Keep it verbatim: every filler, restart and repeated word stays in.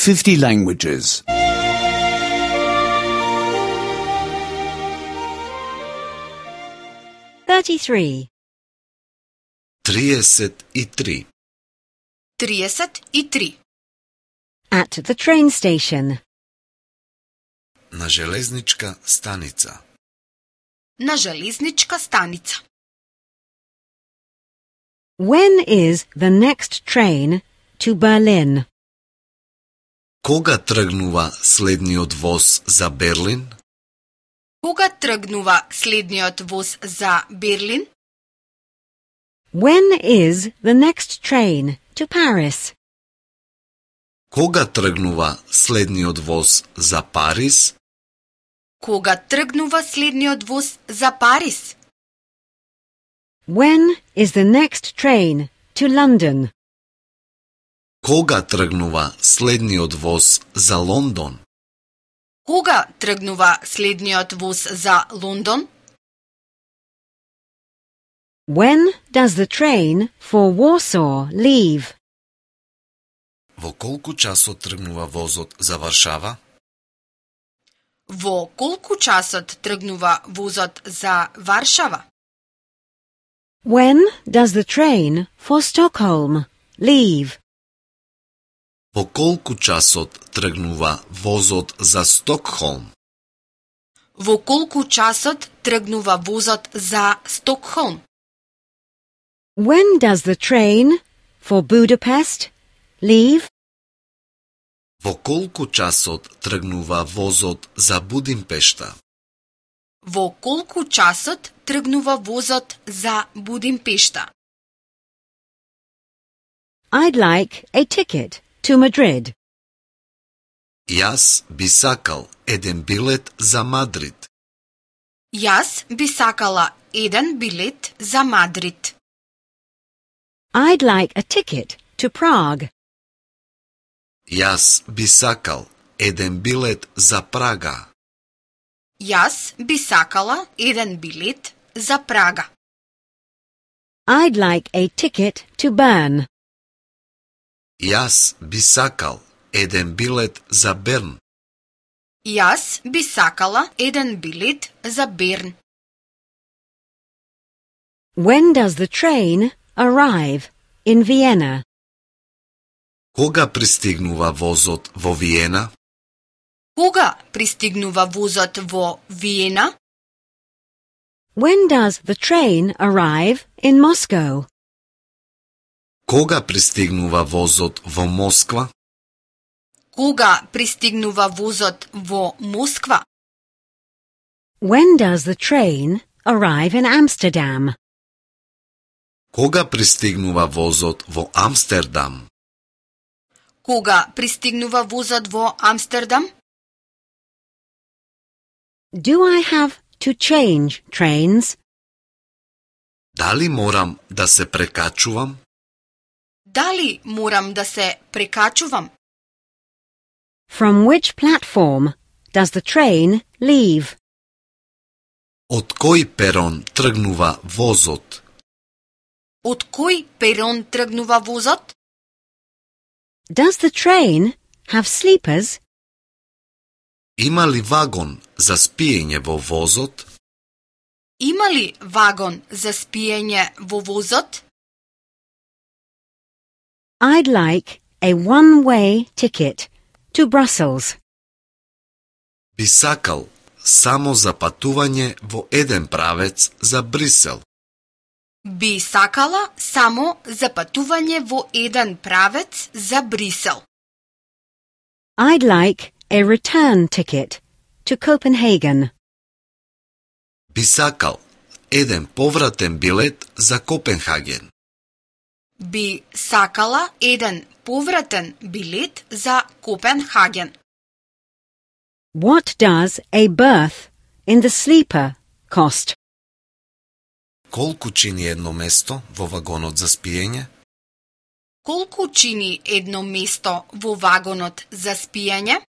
fifty languages. thirty-three. триесет и три. триесет и три. At the train station. На железничка станица. На железничка станица. When is the next train to Berlin? Кога тргнува следниот воз за Берлин? Кога тргнува следниот воз за Берлин? When is the next train to Paris? Кога тргнува следниот воз за Париз? Кога тргнува следниот воз за Париз? When is the next train to London? Кога тргнува следниот воз за Лондон? Кога тргнува следниот воз за Лондон? When does the train for Warsaw leave? Во колку часот тргнува возот за Варшава? Во колку часот тргнува возот за Варшава? When does the train for Stockholm leave? Во колку часот тргнува возот за Стокхолм? Во колку часот тргнува возот за Стокхолм? When does the train for Budapest leave? Во колку часот тргнува возот за Будимпешта? Во колку часот тргнува возот за Будимпешта? I'd like a ticket to Madrid. Јас би сакал еден билет за Мадрид. Јас би сакала еден билет за Мадрид. I'd like a ticket to Prague. Јас би сакал еден билет за Прага. Јас би сакала еден билет за Прага. I'd like a ticket to Bern. Јас би сакал еден билет за Берн. Јас би сакала еден билет за Берн. When does the train arrive in Vienna? Кога пристигнува возот во Виена? Кога пристигнува возот во Виена? When does the train arrive in Moscow? Кога пристигнува возот во Москва? Кога пристигнува возот во Москва? When does the train arrive in Amsterdam? Кога пристигнува возот во Амстердам? Кога пристигнува возот во Амстердам? Do I have to change trains? Дали морам да се прекачувам? Дали морам да се прекачувам? From which platform does the train leave? Од кој перон тргнува возот? Од кој перон тргнува возот? Does the train have sleepers? Има ли вагон за спиење во возот? Има ли вагон за спиење во возот? I'd like a one-way ticket to Brussels. Би сакал само за патување во еден правец за Брисел. Би сакала само за патување во еден правец за Брисел. I'd like a return ticket to Copenhagen. Би сакал еден повратен билет за Копенхаген. Би сакала еден повратен билет за Копенхаген. What does a berth in the sleeper cost? Колку чини едно место во вагонот за спиење? Колку чини едно место во вагонот за спиење?